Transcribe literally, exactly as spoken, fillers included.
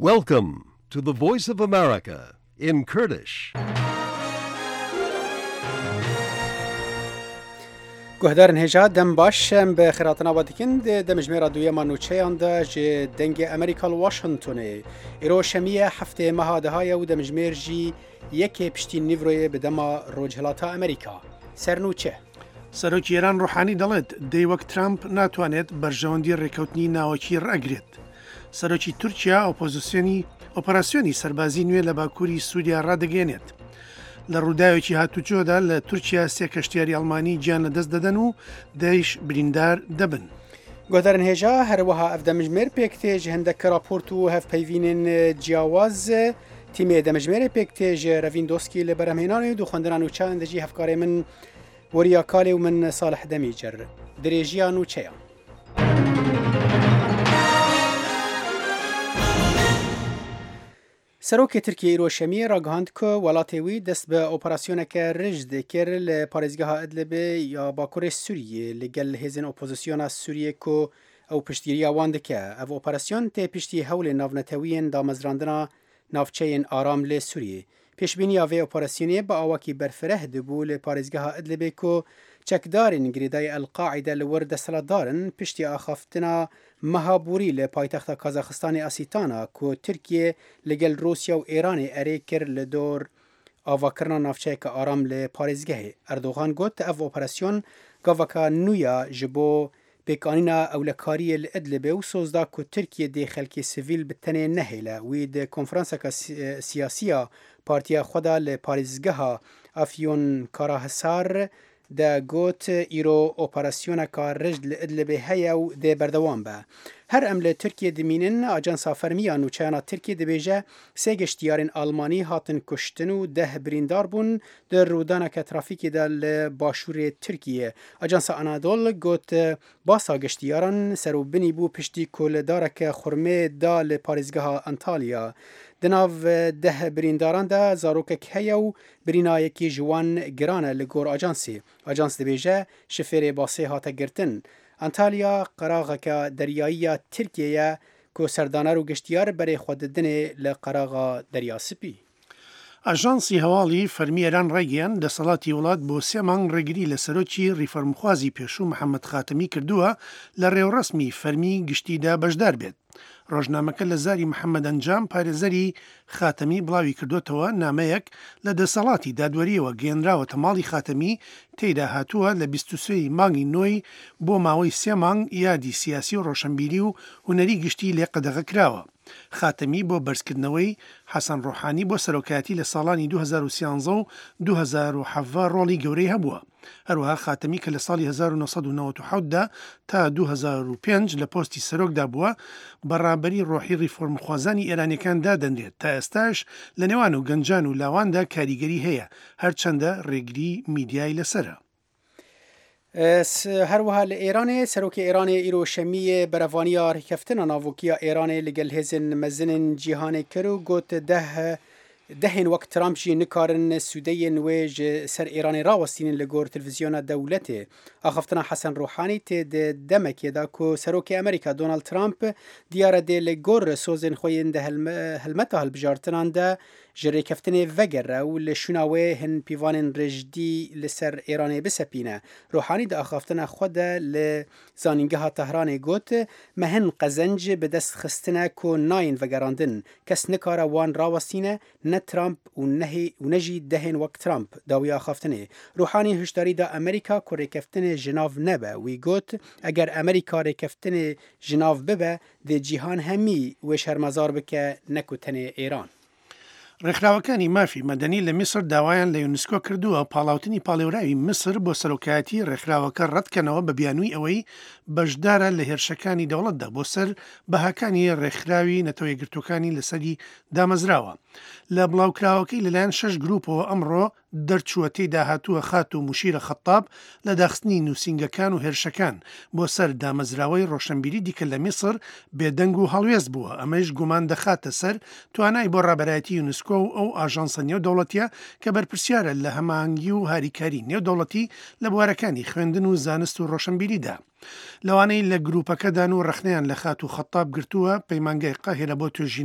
Welcome to the Voice of America in Kurdish. Guhdarên hêja, dem baş, em bi xêratina we dikin. Di demjimêra duyema nûçeyan de ji Dengê Amerîka li Washingtonê. Îro şemî ye, heftê meha deha ye û demjimêr jî yekê piştî nîvroyê bi dema Rojhilata Amerîka. Sernûçe. Serokê Îran Ruhanî دەڵێت دەی وەک ترامپ ناتوانێت بەرژەوەندی ڕێکەوتنی ناوەکی ڕەگرێت. سەرۆکی تورکیا ئۆپۆزیسیۆنی، ئۆپەراسیۆنی سەربازی نوێ لە باکووری سووریا ڕادەگەێنێت. لە ڕووداوێکی هاتوچۆدا لە تورکیا سێ کەشتیاری ئەڵمانی گیان لەدەست دەدەن و دەیش بریندار دەبن. Guhdarên hêja, her wiha ev demjimêr pêk tê ji hindek raport û hevpeyvînên ciyawaz. Tîmê demjimêrê pêk tê ji Revîn Doskî li berhemhênanê û di xwendina nûçeyan de jî hevkarê min Weriya Kalê û min Salih Demîcer. Dirêjiya nûçeyan. Serokê Tirkiyê îro şemiyê ragihand ku welatê wî dest bi operasyoneke rijd kir li parêzgeha Idlibê ya Bakurê Sûriyê li gel hêzên opozisyona Sûriyê ku ew piştgiriya wan dike. Ev operasyon tê piştî hewlên navnetewiyên damezrandina navçeyên aram li Sûriyê. Pêşbîniya vê operasyonê bi awakî berfireh dibû li parêzgeha Idlibê ku çekdarên girêdayî El-Qaîde li wir desthilatdar in, piştî axaftina meha borî li paytexta Kazaxistanê Asîtana ku Tirkiye li gel Rûsya û Êranê erê kir li dor avakirina navçeyeke aram li parêzgehê. Erdogan got, ev operasyon gaveka nû ya ji bo pêkanîna ewlekariyê li Idlibê û soz da ku Tirkiye dê xelkê sivîl bi tenê nehêle. Wî di konferanseke si-, siyasî ya partiya xwe de li parêzgeha Afyon Karahisar de got, îro operasyoneka rijd li Idlibê heye û dê berdewam be. Her em li Tirkiye dimînin, Ajansa Fermî ya Nûçeyana Tirkiye dibêje, sê geştiyarên Almanî hatin kuştin û deh birîndar bûn di rûdaneke trafîkê de li başûrê Tirkiye. Ajansa Anadol got, basa geştiyaran ser û binî bû piştî ku li dareke xurmê da li parêzgeha Antalya. Di nav deh birîndaran de zarokek heye û birînayekî ji wan giran e li gor ajansê. Ajans dibêje, şifêrê basê hate girtin. Antalya qeraxeke deryayî ya Tirkiyê ye ku serdaner û geştiyar berê xwe didinê li qeraxa Derya Spî. ئاژانسی هەواڵی فەرمی ئێران ڕایگەیاند، دەسەڵاتی وڵات بۆ سێ مانگ ڕێگری لە سەرۆکی ریفۆرمخوازی پێشوو محەممەد خاتەمی کردووە لە ڕێوڕەسمی فەرمی گشتیدا بەشدار بێت. ڕۆژنامەکە لە زاری محەممەد ئەنجام، پارێزەری خاتەمی، بڵاوی کردوتەوە، نامەیەک لە دەسەڵاتی دادوەریەوە گەیەنراوەتە ماڵی خاتەمی، تێیدا هاتووە لە بیست و سێ مانگی نۆی بۆ ماوەی سێ مانگ یادی سیاسی و ڕۆشنبیری و هونەری گشتی لێ قەدەغە کراوە. خاتەمی بۆ بەرزکردنەوەی حەسەن ڕۆحانی بۆ سەرۆکایەتی لە ساڵانی دوو هەزار و سیانزە و دوو هەزار و حەڤدە ڕۆڵی گەورەی هەبووە. هەروەها خاتەمی کە لە ساڵی هەزار و نۆ سەد و نەوەد و حەوت دا تا دوو هەزار و پێنج لە پۆستی سەرۆکدا بووە، بەڕابەری ڕۆحی ریفۆرمخوازانی ئێرانیەکان دادەنرێت، تا ئێستاش لە نێوان و گەنجان و لاواندا کاریگەری هەیە، هەرچەندە ڕێگری میدیای لەسەرە. Her wiha li Êranê, Serokê Êranê îro şemiyê berevaniya rêkeftina navokî ya Êranê li gel hêzên mezin ên cîhanê kir û got, deh, dehên wek Trump jî nikarin sûdeyên wê ji ser Êranê rawestînin li gor televîzyona dewletê. Axaftina Hesen Ruhanî tê di demekê de ku Serokê Amerîka Donald Trump diyar e dê li gor sozên xwe yên di helme-, helmeta hilbijartinan de ji rêkeftinê vegere û li şûna wê hin pîvanên rijdî li ser Êranê bisepîne. Ruhanî di axaftina xwe de li Zanîngeha Tehranê got, me hin qezenc bi dest xistine ku nayên vegerandin. Kes nikare wan rawestîne, ne Trump û nehê-, û ne jî dehên wek Trump. Dawiya axaftinê. Ruhanî hişdarî da Amerîka ku rêkeftinê ji nav nebe. Wî got, eger Amerîka rêkeftinê ji nav bibe, dê cîhan hemî wê şermezar bike, ne ku tenê Êran. ڕێکخراوەکانی مافی مەدەنی لە میسر داوایان لە یونسکۆ کردووە پاڵاوتنی پاڵێوراوی میسر بۆ سەرۆکایەتی ڕێکخراوەکە ڕەتکەنەوە، بە بیانووی ئەوەی بەشدارە لە هێرشەکانی دەوڵەتدا بۆ سەر بەهاکانی ڕێکخراوی نەتەوە یەکگرتووەکانی لەسەری دامەزراوە. لە بڵاوکراوەکەی لەلایەن شەش گروپەوە ئەمڕۆ دەرچووە، تێیدا هاتووە خاتوو موشیرە خەتاب لە داخستنی نووسینگەکان و هێرشەکان بۆ سەر دامەزراوەی ڕۆشنبیری دیکە لە میسر بێدەنگ و هەڵوێست بووە. ئەمەیش گومان دەخاتە سەر توانای بۆ ڕابەرایەتی یونسکۆ و ئەو ئاژانسە نێودەوڵەتیە کە بەرپرسیارە لە هەماهەنگی و هاریکاری نێودەوڵەتی لە بوارەکانی خوێندن و زانست و ڕۆشنبیریدا. لەوانەی لە گروپەکەدان و ڕەخنەیان لە خاتوو خەتاب گرتووە، پەیمانگای قاهرە بۆ توێژینەوەی